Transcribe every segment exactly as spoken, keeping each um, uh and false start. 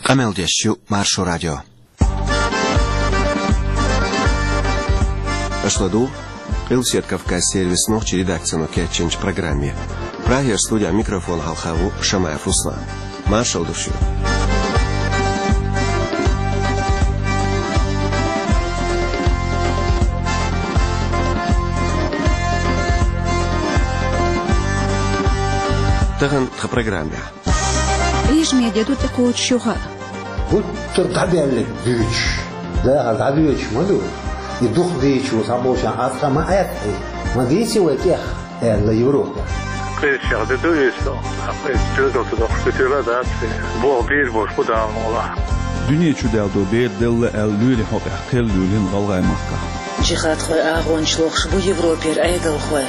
Къамел деш ю Маршо радио. Аша ладугӀу Къилбаседа Кавказ сервисан нохчийн редакцино кечйинчу программе. Прагера студехь микрофон хьалха ву Шамаев Руслан. Маршалла ду шуьга. Тахана тхан программехь. Режиме де ду тӀекхочуш юха. Гуттар дӀадаьлларг дуьйцуш, дахар дӀадоьдуш ма ду. И дукха дийцачо схьаболчарна аз тхан ма аьтта, ма дийци вай тӀех, аьлла Европа. Кхечех де ду иза, кхечу чоьзалца доккхуш ду тила а дац, боху бийр болуш бу Дала мукъалахь. Дуьне чу даьлла ду бер делла аьлла лоьрийн хьокъехь кхел луьйлина ГӀалгӀай-махкахь. Джихадхойн агӀончаш лохуш бу Европера Ӏедалхой.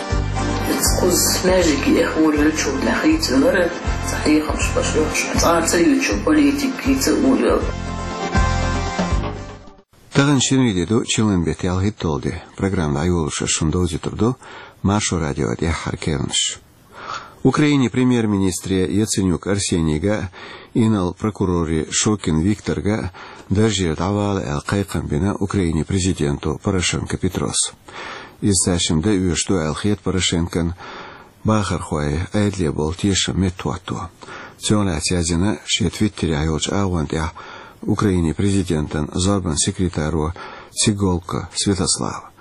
Кхуза маьждиге эхь волавелчул тӀаьхьа хийцавелира, цхьа хьехамаш баш йохуш, цкъа а ца юьйцуш политика хийца а волавелла. Тахана шинарин де ду, чиллан беттан ялхитталгӀа де. Программа дӀайолош ас шуна довзуьйтур ду Маршо радион тӀаьххьара керланаш. Украинин премьер-министре Яценюк Арсенига а, инарла прокуроре Шокин Викторга а даржера дӀавала аьлла кхайкхам бина Украинин президенто Порошенко Петрос. Иза цаьршимма дан оьшуш ду аьлла хета Порошенкона бахархойн Ӏедале болу тешам меттахӀотто. Цунах лаьцна яздина шен твиттерехь йолчу агӀон тӀехь Украинин президентан зорбанан секретаро Цигулко Святослава.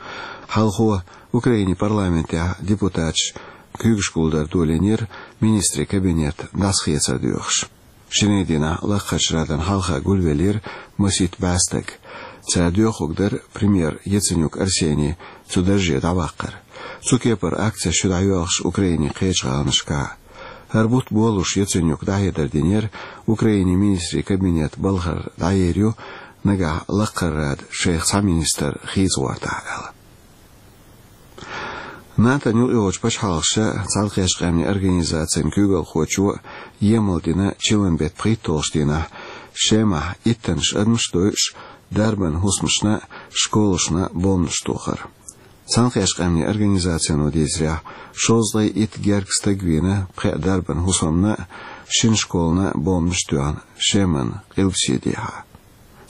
Хьалхо Украинин парламентехь депутаташ куьйгаш гулдар долийнера министрийн кабинет дӀасахецар доьхуш. Шинарин дийнахь Лакхарчу Радана хьалха гулвеллера масийтта бӀе стаг. Цара доьхург дара премьер Яценюк Арсений цу дарже дӀаваккхар. Цу кепара акцеш ю дӀайоьлхуш Украинин кхечу гӀаланашкахь а. ХӀара бутт болалуш Яценюка дӀахьедар динера Украинин министрийн кабинет балхара дӀаер ю, нагахь Лакхара Рада шайх цхьа министр хийца гӀортахь аьлла. НАТОн юкъайогӀучу пачхьалкхаша, Цхьаьнакхеттачу Къаьмнийн Организацин куьйгалхочо емал дина чиллан беттан пхийтталгӀачу дийнахь Шемахь иттаннаш адамаш дойуш, дарбан хӀусамашна а, школашна а бомбанаш тохар. Цхьаьнакхеттачу Къаьмнийн Организацино дийцарехь, шовзткъе итт гергга стаг вийна пхеа дарбан хӀусамна а, шина школана а бомбанаш тоьхна Шеман къилбаседехьа.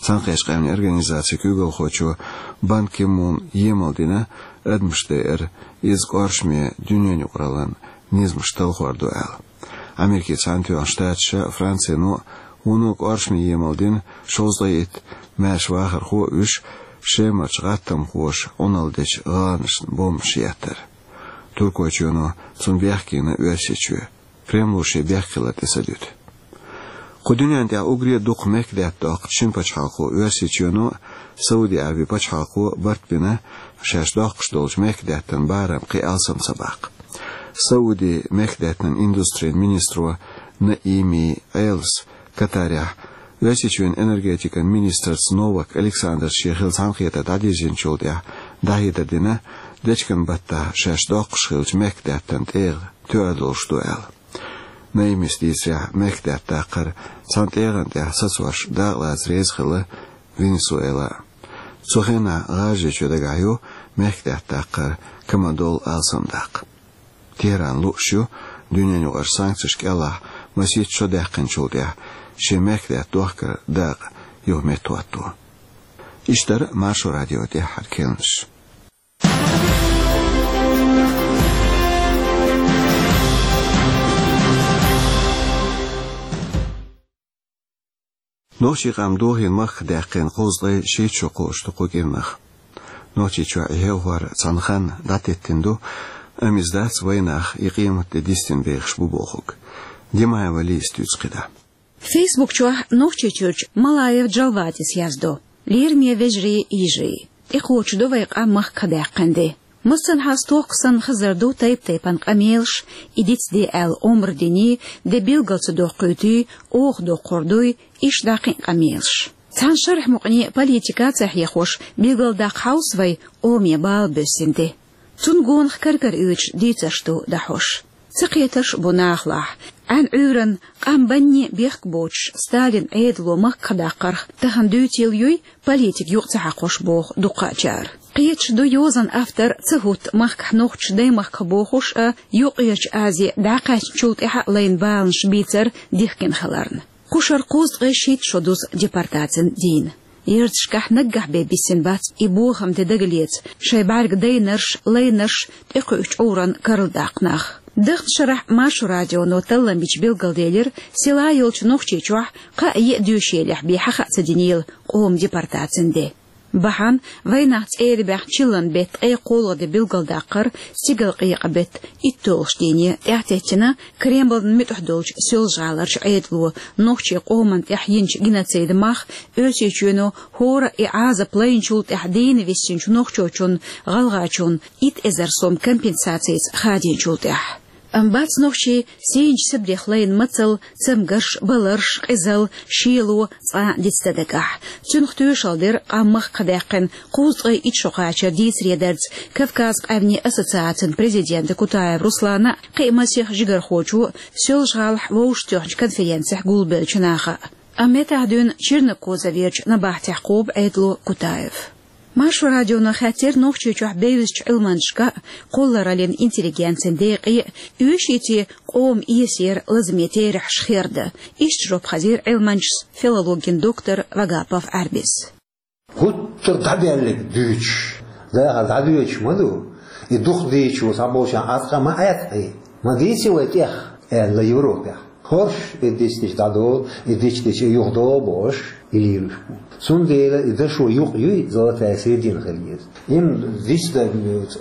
Цхьаьнакхеттачу Къаьмнийн Организацин куьйгалхочо Бан Ки Муна емал дина адамаш дайар, иза кӀоршаме дуьненан юкъараллин низамаш талхор ду аьлла. Америкин Цхьаьнатоьхначу Штаташа, Францино а вуно кӀоршаме емал дина шовзткъе итт маьрша вахархо а вуьйш, Шемарчу гӀаттамхоша Ӏуналла дечу гӀаланашна бомбанаш еттар. Туркойчоьно цунна бехке йина Оьрсийчоь. Кремло шен бехк хилар тӀе ца дуьту. Кху дуьнен тӀехь уггаре а дукха мехкдаьтта доккхучу шина пачхьалкхо Оьрсийчоьно а, Сауди Ӏаьрбийн пачхьалкхо а барт бина, шаьш доккхуш долчу мехкдаьттан барам кхин алсам ца баккха. Саудин мехкдаьттан индустрин министро Наими Элас Катарехь Оьрсийчоьнан энергетикан министрца Новак Александрца шен хилла цхьаьнакхетар дӀадирзинчул тӀаьхьа дӀахьедар дина, дечкен баттахь шаьш доккхуш хиллачу мехкдаьттан тӀегӀа тоьар долуш ду аьлла. Наимис дийцарехь, мехкдаьтта даккхар цхьана тӀегӀан тӀехь сацош дакъалаца реза хилла Венесуэла. Цу хенахь ГӀажарийчоь дагахь ю мехкдаьтта даккхар камадолу алсам даккха. Техран лууш ю дуьненан юкъара санкцеш кӀелахь масийтта шо даьккхинчул тӀаьхьа шен мехкдаьтта дохкар дакъа юха меттахӀотто. Иштта дара Маршо радион тӀаьххьара керланаш. Нохчийн къам дохийна махках даьккхина кхузткъе шийтта шо кхочуш ду кху кӀирнах. Нохчийчохь и хьевхор цхьана ханна дӀатеттина ду, амма иза дац вайнах и къемат де дистина бехаш бу бохург. Димаева Лиза дуьйцу кхидӀа. Фейсбук чохь Нохчийчуьрчу Малаев Джалватис яздо: «Лераме вежарий, йижарий! ТӀекхочуш ду вайн къам махках даьккхина де. Массанхьа стохка санна хазар ду тайп-тайпана къамелаш, и дицде аьлла омра диний, де билгал ца доккхуьйтуй, оха доккхур дуй, иштта дӀа кхин а къамелаш. Цхьана шарахь мукъане политика а ца хьехош, билгалдаккха хьовса вай къоме бала боьссина де. Цунна гонах кара-кара оьцуш дийцарш ду дӀахьош. Ца кхетарш а бу нахалахь. Ӏаьнан Ӏуьйранна къам банне бехк боцуш Сталинан Ӏедало махках даккхарх тахана дуьйцийла юй, политика юкъа ца хьакхош», — боху дукхачара. Кхеташ ду йозанан автор ца хӀутту махкахь нохчаш даймахках бохуш а, Юккъерчу Азе дӀакхаьчначул тӀаьхьа а лайна баланаш бийцар дихкина хиларна. Кху шарахь кхузткъе шийтта шо дузу депортацин дийнахь. Ярташкахь наггахь бен биссина бац и бохам де дагалаца, шайн бӀаьрг дайнарш, лайнарш тӀекхуьучу чкъурана карладаккха нах. Даханчу шарахь Маршо радионо таллам бича билгалделира, села йолчу Нохчийчохь кхаа-йиъ доьшийлехь бен хьаха а ца динийла къоман депортацин де. Бахьана вайнах цӀера баьхна чиллан беттан ткъе кхоалгӀа де билгалдаккхар, стигалкъекъа беттан итталгӀачу дийне тӀаьхьатеттина Кремлна муьтӀахь долчу Соьлжа-ГӀаларчу Ӏедало нохчийн къоманна тӀехь йинчу геноцидах, Оьрсийчоьно хӀора и Ӏазап лайначул тӀаьхьа дийна виссинчу нохчочунна, гӀалгӀачунна итт эзар сом компенсацица хадийначул тӀаьхьа. Амма бац нохчийн сийначу Сибрех лайна мацалла, цамгарш, баларш, къизалла, шело цкъа а дицдан дагахь. Цунах тоьшалла дира къам махках даьккхина кхузткъе итт шо кхачар дийцаре дарца Кавказан къаьмнийн ассоциацин президента Кутаев Руслана а, кхин а масех жигархочо а Соьлжа-ГӀалахь вовшахтоьхначу конференцехь гулбеллачу наха а. Амма меттахь дуьйна Чернокозоверчу набахтехь кхобу Ӏедало Кутаев. Маршо радионо хаьттира Нохчийчохь бевзачу Ӏилманчашка а, кхоллараллин интеллигенцин декъе а, оьший те къоман эсера лазаме терахьаш хир дан. Иштта жоп хазийра Ӏилманчас, филологин доктора Вагапов Ӏаьрбис. ГӀуттар дӀабаьлларг дуьйцуш, дахар дӀадоьдуш ма ду, и дукха дийцачо цхьаболчарна Ӏаткъа ма Ӏаьткъий, ма дийци вай тӀех, аьлла Европехь. ХӀорш и дицдича дӀадолу, и дицдича и юхадолу бохуш, и лелаш бу. Цундела и дашо юкъ юй, золотая середина хила еза. Им дицдан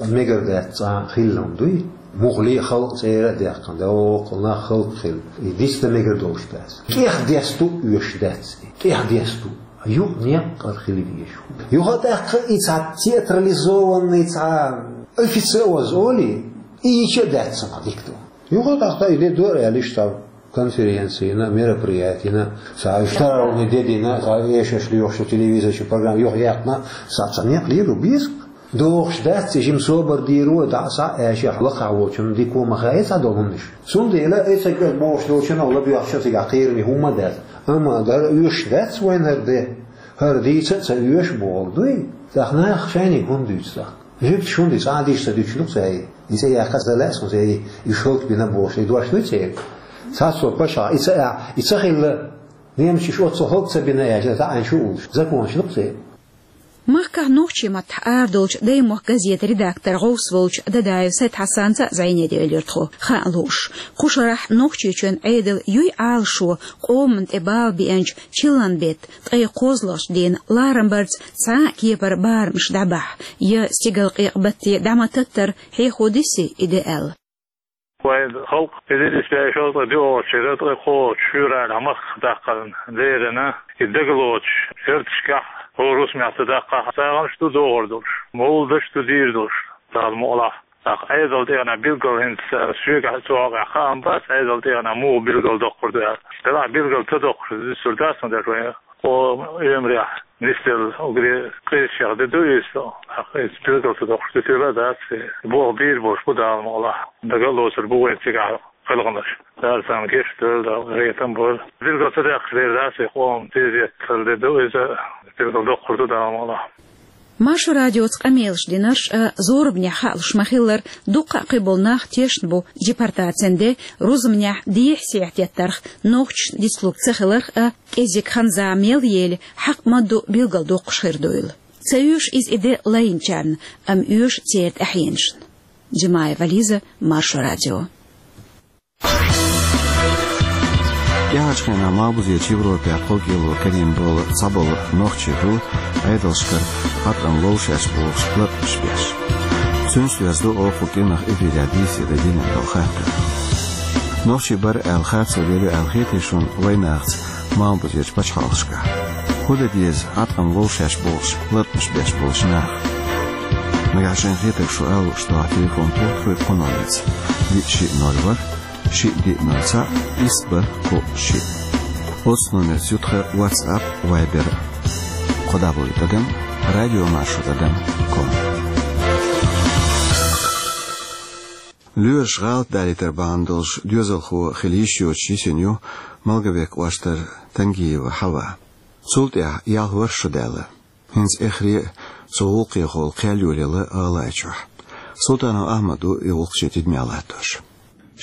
мегар дац цкъа хилла хӀума дуй, муххале а халкъ цӀера а даьккхина, доккхул нах халкъ хилла. И дицдан мегар долуш дац. ТӀех десту оьшуш дац и, тӀех десту. Юкъ некъ кӀара хила везаш ву. Юха а тӀаккха и цхьа театрализованный, цхьа официоза олий, и йича а дац цунах дика ду. Юха а тӀаккха и де дора аьлла иштта конференцина, мероприятина, цхьа уьш таронный де дина, цхьа эшаш лоьхуш телевизорчу программа юха яьккхина, цхьа, цхьа некъ лело беза. Дохуш дац и жима собар дийр ву, дӀа а схьа а аьшех лакхахь волчунна дика ма хаьа цхьадолу хӀуманаш. Цундела и ца кӀел бохуш долчунна лабоьхча цигахь кхераме хӀумма а дац. Амма дара оьшуш дац вайна хӀара де. ХӀара дийца а ца оьшу боху дуй? ТӀаккха наха шайниг хӀунда дуьйцу тӀаккха? Жуьгташ хӀунда и цкъа а дийш ца дуьйцуш ду-кх цаьрга? И цӀе яккха ца лаьа суна цаьрга, и шалта бина бохуш, и дош дуй церан? Цхьацца пачхьалкх, и ца а, и ца хилла, немцаш оццул хӀаллак ца бина аьлча, таӀийна шу уллуш, законаш ду-кх церан. Махкахь нохчийн маттахь арадолчу «Даймохк» газетан редактор гӀовс волчу Дадаев Сайд-Хьасанца а зӀене девлира тхо, хаа лууш. Кху шарахь Нохчийчоьнан Ӏедал юй Ӏалашо къоманна тӀе бала беанчу чиллан беттан ткъе кхозлагӀчу дийнан ларамбарца цхьа а кепара барамаш дӀабахьа, я стигалкъекъа батте дӀа ма таттара хьехо дисий и де аьлла? Вайн халкъ эзар исс бӀе шовзткъе диъ волчу шеран ткъе кхоалгӀачу февралехь махках даккхарна леррина, и дагалоцуш ярташкахь, хӀора хӀусамехь ца даккхахь, сагӀанаш ду догӀур долуш, мовладаш ду дийр долуш, Дала мукъалахь. ТӀаккха Ӏедал тӀегӀанехь билггал хӀинца соьгахь цу хьокъехь хаам бац, Ӏедал тӀегӀанехь муха билгалдоккхур ду аьлла. Делахь билгал ца доккхуш, дисур дац ма деш вайн къоман оьмарехь нисделла уггаре къизачех де ду иза. ТӀаккха иза билгал ца доккхуш, дитийла а дац, и болх бийр болуш бу Дала мукъалахь. Дага а лоцур бу вайн цигахь гӀалгӀанаш. Дала царна гечдойла, Дала гӀетам бойла. Билгал ца даьккхича дер дац, и къоман тезеталла де ду иза, билгал доккхур ду Дала мукъалахь. Маршо радиоца къамелаш динарш а, зорбанехь хаалуш ма-хиллара, дуккха а кхиболу нах тешна бу депортацин де, рузбанехь дехьа-сехьа теттарх, нохчашна дицлург ца хиларх а, кӀезиг хан-зама мел ели, хьакъ ма-дду билгалдоккхуш хир дуйла. Ца оьшу иза и де лайначарна, амма оьшу церан тӀаьхьенашна. Джимаева Лиза, Маршо радио. ТӀаьхьарчу хенахь Малхбузерчу Европехь кхолкӀело карийна болу цхьаболу нохчий хӀу Ӏедалшкара хьатӀам ловшеш бохуш латкъаш беш. Цуьнца доьзна ду оха кху кӀиранах эфирехь дийцаре динарг долу хаттар. Нохчий бара аьлла харцо лело аьлла хетий шуна вайнахаца Малхбузерчу пачхьалкхашкахь? ХӀун дан деза хьатӀам ловшеш бохуш латкъаш беш болчу наха? Нагахь шайн хетарг шу ала лууш ду хӀокху телефон пултхуьйту кхуьнан лаца: диъ шиъ ноль ворхӀ, шиъ диъ ноль цхьаъ, исс бархӀ кхоъ шиъ. Оццу номерца ю тхан WhatsApp, Viber. Кхо дабл ю тӀадам радиомаршо тӀадам ком. Лоьраша гӀалат далийтар бахьана долуш доьзалхо хила йиш йоцуш йисина ю Малговек кӀоштара Тангиева Хьава. Цул тӀаьхьа ялх ворхӀ шо даьлла. ХӀинца эххар а цу гӀуллакхехула кхел йолаелла ГӀалгӀайчохь. Султанов Ахьмад ву и гӀуллакх шен тидамехь латтош.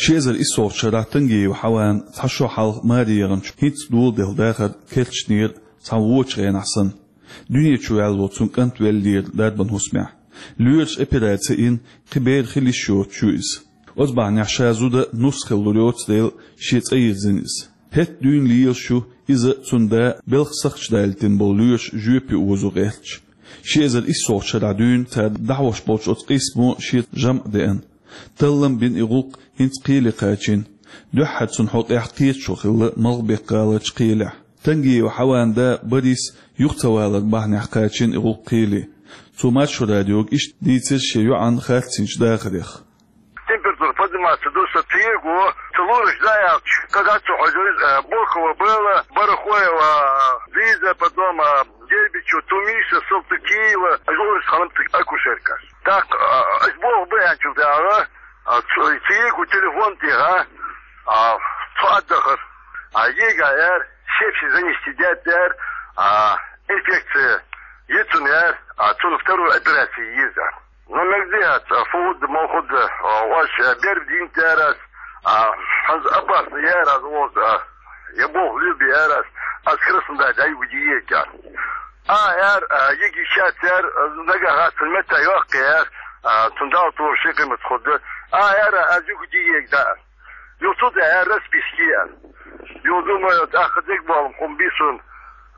Ши эзар иссалгӀачу шарахь Тангиев Хьаван цхьа шо хьалха маре яханчу хӀинца доладелла дахар кечдинера цхьана вочу хенахь санна. Дуьне чу ваьлла волу цуьнан кӀант веллера дарбан хӀусамехь. Лоьраша операци йина, кхин бер хила йиш йоцуш ю иза. Оцу бахьанехь ша зуда нус хила лур йоцу дела, шен цӀа йирзина иза. ХӀетахь дуьйна лелаш ю иза, цуьнан да белхан сахча далийтина болу лоьраша жоьпе озо гӀерташ. Ши эзар иссалгӀачу шарахь дуьйна цара дӀахьош болчу оцу къийсамо шен жамӀ деана. Таллам бина и гӀуллакх хӀинца кхеле кхачийна. Дуьххьара цуьнан хьокъехь кхеташо хилла Малхбек-гӀаларчу кхелехь. Тангиев Хьаван да Борис юха ца валар бахьанехь кхачийна и гӀуллакх кхеле. Цо Маршо радиога иштта дийцира шен йоӀан харцйинчу дахарех. Температура подниматься до ста, ца йигу, ца луьйш даьлча, кагаццо хьожуьйту, э, Бокова Белла, Барахоева Лиза, потом, э, Дербичу Тумиса, Салтыкиева, луьйш хьалам цига акушеркаш. Так, э, ас боху баьнчул тӀаьхьа, э, ц-, ца йигу телефон тӀехьа, а, цо отдыхар. А йига яр, сепсис занести дет яр, а, инфекция йицун яр, а, цунна вторую операцию йиза. Ну, мегде, а, фуд, мохуд, а, ваш, а, берб дин терас, а, ханз опасно ярас, вот, а, я бог люби ярас, а с красным дай, дай удиетя. А, яр, а, йиги шат яр, а, нагахат, мета йохк яр, а, цундал тур шикимат худ. А, яр, а, зюк диек да. Ю тут я расписки я. Ю думаю, а, ходик балм, хум бисун,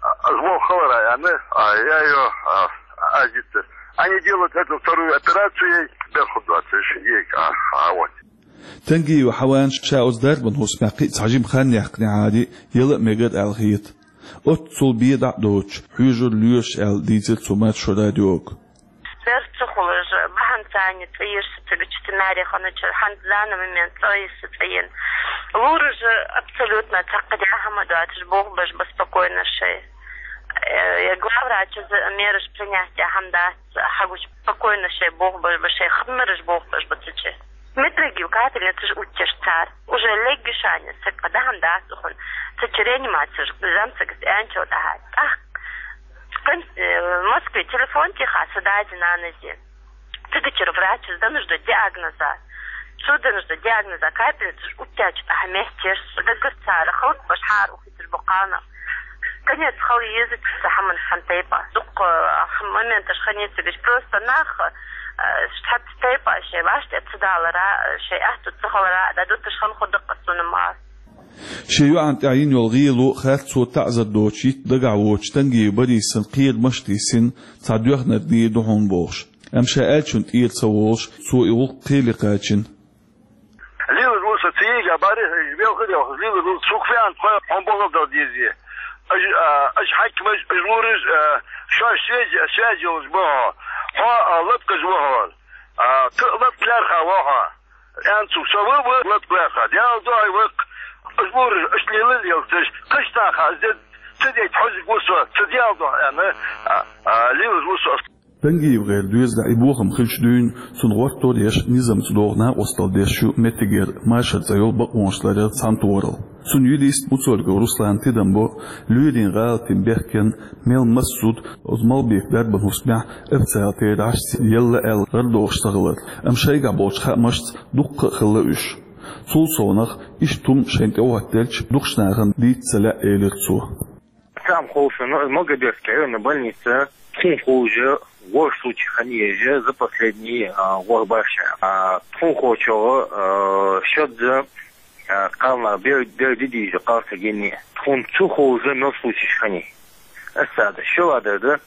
а, звон халара, я, не, а, я её, а, азит. Они делают эту вторую операцию, я, бер худ двадцать, а, а, вот. Тангиев Хьаван ша оцу дарбан хӀусамехь кхин а цхьа жима хан яьккхинехь а, яла а мегар аьлла хета. Оццул бен дӀа а доцуш, хьоьжура лоьраша аьлла дийцира цо Маршо радиога. Бер ца хуьлуш, бахьана царна цӀа йира сан цига чу, ца маре ханначу, хьан данный момент цӀа йира сан цӀа йина. Лура же абсолютно цхьаккха дӀа хӀума доцуш, боху баш ба спокойно шай. Э, я главврача мераш принять дӀа хӀума дац, хьагуш спокойно шай боху баш ба, шай хабмараш боху баш ба ца чу. Медрагил капельницаш уттеш цара. Уже легги шани саккха дахьан дац ухун. Ца чу реанимацеш замцагас энчо дахьа. ТӀаккха кан-, э, Москве телефон тиха са дази нанази. Цигачура врачес дануш до диагноза. Цу дануш до диагноза капельницаш уттечу тӀаьхьа меттеш. Дагар цара халк баш хьар ухиташ бу кхана. Конец хала еза ца хьаман хан тайпа. Дукха, а, моменташ хани цигаш просто нах, а, шхьац тайпа шей ваште ца далара, шей ахту ца халара, да дуташ хан худакка цунама. Шен йоӀан тӀехь йина йолу гӀело харцо таӀзар доцу йитта дагахь воцуш Тангиев Борисан кхерамаш а тиссина, цхьа доьхнар дийр ду хьуна бохуш. Амма ша аьллачун тӀера ца волуш, цо и гӀуллакх кхеле кхачийна. Лилар ву со цига, бари, велха, велха, лилар ву, сух фиан, тхо, хьон бохал дал дизи. Аж, а, аж хьакмаж, аж лураж, а, шо связь, связь йолуш бо. Хьо, а, лапкаж ву хьо. А, т-, лапк ларха ву хьо. Эн цу со ву, ву, лапк ларха. Дял дой вакх. Аж лураж, аж лилар елцаж. Кыштаха, зе, ц-, дей, хьожиг ву со, ц-, дял дой, эн, а, а, лилаж ву со. Тангиев гӀайра доьзалехь и бохам хилча дуьйна, цунна гӀортор еш, низамца догӀу накъосталла деш ю меттигера Машар цӀе йолу бакъонаш ларъяра цхьаьнатохаралла. Цуьнан юрист Муцольгов Руслана тидам бо, лоьрийн гӀалатийн бехкенна мел маса зуда оцу Малхбека дарбан хӀусамехь официалан терахьашца елла аьлла гӀарадохуш ца хилар, амма шайгахь болчу хаамашца дуккха а хилла уьш. Цул совнаха, иштта хӀума шайна тӀехӀоттаделча, дукхачу нахана дийца ца лаьа, элира цо. Сам ховшина, Малгобекская районная больница, тхуна ховша, ворхӀ случай хинна еза за последний, а, ворхӀ баш. А, тхуна ховчохь, а, шозза, а, кхалнах бер, бер де деза кхалсаг йина. Тхуна цу ховша мел случайш хинна. Аса да, шо ладар да,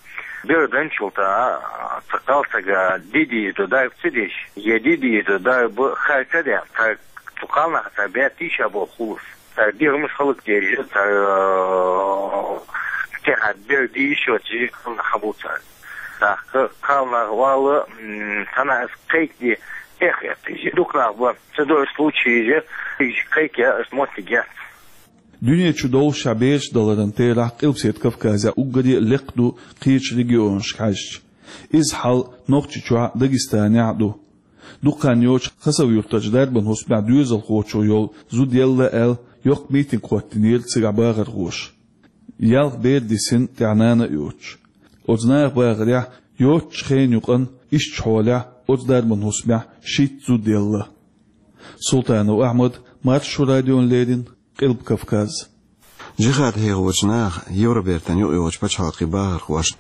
бер данчул тӀа, а, цу кхалсага де деза ду дарба ца деш, я де деза ду дарба хар ца даьлла, цу кхалнаха цара баьттий ша боху хулас. Цара дегӀамаш хӀаллакдеш, цара, э, тӀехьа бер дийшочу кхалнах хьан бу цара. ТӀаккха кхалнах валла, м, цхьана ас кхайкаде, эх, эх, дукха нах бан, ца дойу случайш, иза кхайкаян ас моттиг яц. Дуьне чу довшахь бераш даларан терахь Къилбаседа Кавказехь уггаре а лекха ду кхечу регионашка хьаьжча. Иза хьал Нохчийчохь а, Дагестанехь а ду. Дукха хан йоцуш Хасав-Юртарчу дарбан хӀусамехь доьзалхочух йолу зуда елла аьлла, йоккха митинг хӀоттийнера цигахь бахархоша. Ялх бер дисина, тӀехь нана а йоцуш. Оцу наха бахарехь, йоццачу хенан юкъана ишттачу хьолехь оцу дарбан хӀусамехь шийтта зуда елла. Султанов Ахьмад, Маршо радиона леррина, Къилба Кавказ. Джихад хьехочу наха Евробертан юкъайогӀучу пачхьалкхийн бахархошна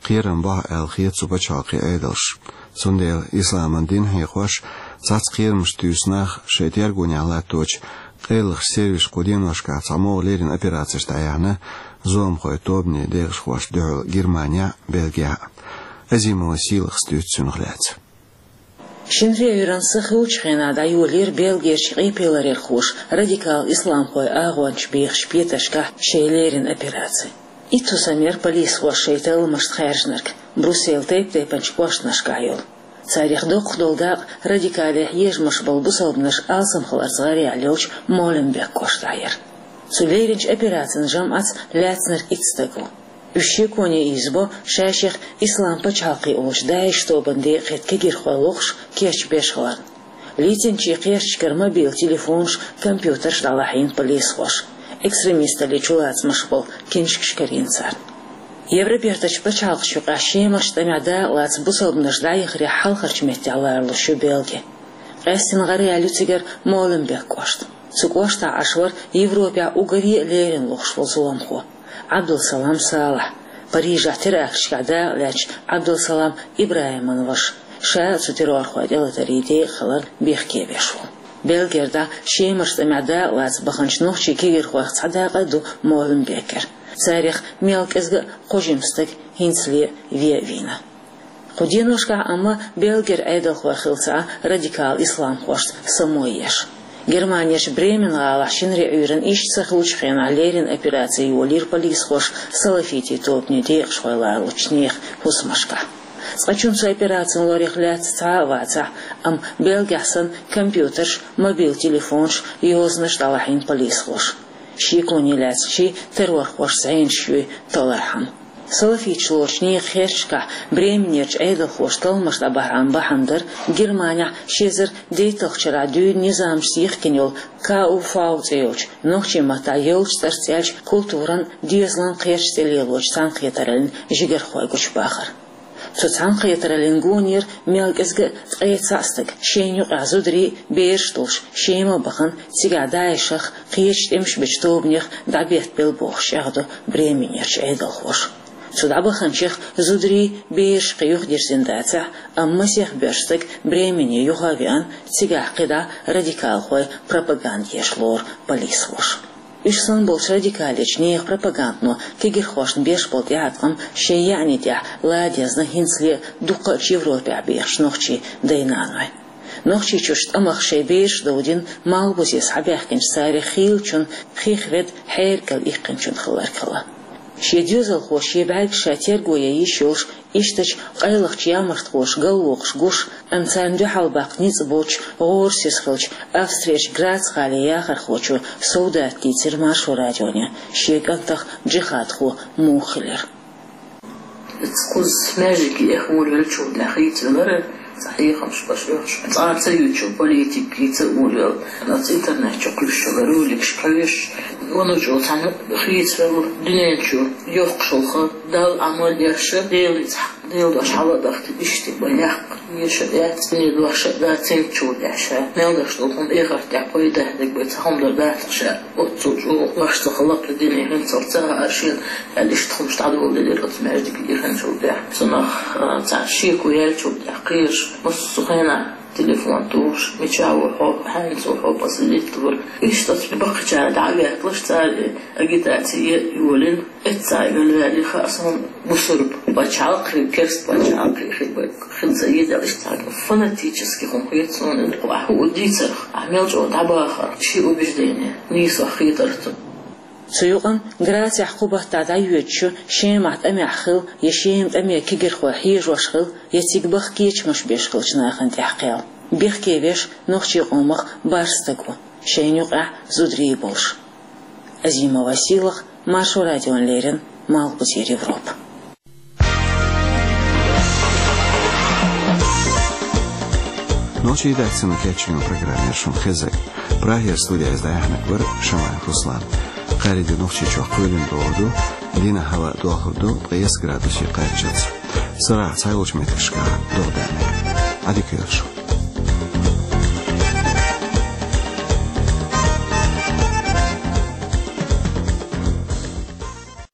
кхерам бо аьлла хета цу пачхьалкхийн Ӏедалш. Цундела исламан дин хьехош, цхьацца кхерамаш туьйсу нах шайн тергонехь латточу къайлахчу сервисаша кху деношкахь цхьа могӀа леррина операцеш дӀаяьхьна зуламхойн тобанийн декъашхошна дуьхьал Германехь а, Бельгехь а. Азимова Сийлахас дуьйцу цунах лаьцна. Шинарин Ӏуьйранна са хиллачу хенахь дӀайолийра Бельгерчу къепеларъярхоша радикал исламхойн агӀончаш бехачу петаршкахь шайн леррина операци. Итту сан яра полисхоша шайн талламашна хаьржинарг, Брюсселан тайп-тайпанчу кӀошташкахь йолу. Царах доккха долу дакъа радикале хьежамаш болу бусалбанаш алсамхаларца гӀараяьлла йолчу Моленбек кӀоштахь яра. Цу лерринчу операцин жамӀатца лаьцнарг итт стаг ву. Уьш шеконе ийзабо ша-шех Ислам пачхьалкх олучу ДАИШ тобанан декъахь кегийрхой лохуш, кечбеш хиларна. Лецначийн кхерчашкара мобил телефонаш, компьютерш дӀалахьийна полисхоша. Экстремисталлин чулацамаш болу книшкаш карийна царна. Евробертачу пачхьалкхашна юкъахь Шемарчу тӀамехь дакъалаца бусалбанаш дӀаяхарехь хьалхарчу меттехь ларалуш ю Бельги. Къаьсттина гӀараяьлла ю цигара Моленбек кӀошт. Цу кӀоштахь Ӏаш вара Европехь уггаре а леррина лохуш волу зуламхо Ӏабдулсалам Салахь, Парижехь теракташкахь дакъалаьцначу Ӏабдулсалам ИбрахӀиман ваша, ша а цу террорхойн тӀелатарийн декъахь хиларна бехке веш ву. Бельгера дӀа Шемарчу тӀамехь дакъалаца баханчу нохчийн кегийрхойх цхьа дакъа а ду Моленбекера. Царах мел кӀезга а кхо жима стаг хӀинцале а вен а вийна. Кху деношкахь амма Бельгера Ӏедалхой хилла ца Ӏа радикал исламхошца само еш. Германерчу Бремен гӀалахь шинарин Ӏуьйранна иштта са хиллачу хенахь леррина операци йолийра полисхоша салафитийн тобанийн декъашхой ларалучу нехан хӀусамашкахь. Цкъачунна цу операцин лорах лаьцна цхьа а вацахь, амма Бельгехь санна компьютерш, мобил телефонаш, йозанаш дӀалахьийна полисхоша. Шеконе лаьцначийн террорхоша зӀенаш юй талорхьама. Салафиташ лоручу нехан херчашкахь Бременерчу Ӏедалхоша талламаш дӀабахьаран бахьана дара Германехь ши эзар дейтталгӀачу шарахь дуьйна низамашца йихкина йолу К У В цӀе йолчу, нохчийн маттахь йолчу цӀарца аьлча культуран, доьзалан кхерчаш тӀе лелочу цхьаьнакхетараллин жигархой гучубахар. Цу цхьаьнакхетараллин гонера мел кӀезга а ткъе цхьаъ стаг, шайна юкъахь зударий а, бераш а долуш, Шема бахана, цигахь ДАИШах, кхечу тӀемаш бечу тобанех дӀабеттабелла бохуш чӀагӀдо Бременерчу Ӏедалхоша. Цу дӀабаханчех зударий, бераш кхин юхадирзина дацахь, амма масех боьрша стаг Бремене юха а веана, цигахь кхидӀа радикалхойн пропаганда еш лору полисхоша. Уьш санна болчу радикалечу нехан пропагандано кегийрхошна беш болу тӀеӀаткъам шайн яьӀни тӀехь ладезна хӀинцале а дуккхачу Европехь бехачу нохчийн дай-нанойн. Нохчийчуьрчу тӀамах шайн бераш довдина, малхбузе схьабаьхкинчу царах хийлачун, хих ведда хьерга иккхинчун хиларг хилла. Шен доьзалхо, шен бӀаьргаш ша терго ян йиш йолуш, иштачу къайлахчу ямартхоша галвокхуш гуш, амма царна дуьхьал баккха ницкъ боцуш, гӀора сиз хиллачу Австрерчу Грац-гӀалин яхархочо Совдата дийцира Маршо радионе шен кӀантах джихадхо муха хилира. Иза кхузза маьждиге эхь волавеллачул тӀаьхьа хийцавелира, цхьа хьехамаш беш оьхуш, цкъа а ца юьйцуш, политика хийца а волавелла. Оцу интернет чу кхуьйсуш йолу роликаш кхоьхьуш, ванна чӀогӀа цхьаьна хийцавелла, дуьнен чу йоккхуш йолу хан, Далла Ӏамал еш, Делаца Делан дош хьала а дахкий, иштта бан яккха, еша а яц, дуьне дош а дац, цуьнца чу деш ша. Мел деш долу хӀума эхарта тӀехь пайда хьаьддиг бен цхьа хӀума дар дац ша. Оццул чӀогӀа вайша ца хала кху дуьне хӀинцалц ца хаьара шена, аьлла, иштта хӀумаш дӀадоладелира оцу маьждиге дихинчул тӀаьхьа. Цунах, а, цхьа шеко яьллачул тӀаьхьа кхераш, массо а хенахь телефон тухуш, мичахь ву хьо, хьаьнца ву хьо, последить вара. Иштта оцу баккхийчара дӀа а ветталуш, цара агитаци йолийна. Эцца а велаваьлли хаьа суна бусурба пачхьалкхе, керста пачхьалкхе хи-, хила ца йийдалаш цхьа фанатически хӀума хета суна, ахь хӀуъа дийцарх, ахь мел чӀогӀа дӀабахарх, ши убеждение нийсо хетара цунна. Цу юкъана Грацехь кху баттахь дӀайоьдучу, Шемахь тӀамехь хилла я Шема тӀаме кегийрхой хьежош хилла, я цига баха кечамаш беш хиллачу нахана тӀехь кхел. Бехке веш нохчийн къомах бархӀ стаг ву, шайна юкъахь зударий болуш. Азимова Сийлаха, Маршо радиона леррина, Малхбузера Европа. Нохчийн редакцино кечйина программа яра шуна хезнарг. Прагера студехь иза дӀаяьхьнарг вара Шамаев Руслан. Кхаарин де Нохчийчохь кхоьлина догӀур ду, дийнахь хӀаваъ дохлур ду ткъе исс градусе кхаччалц. Сарахь цхьайолчу меттигашкахь догӀа даьннад. Ӏадика йойла шун.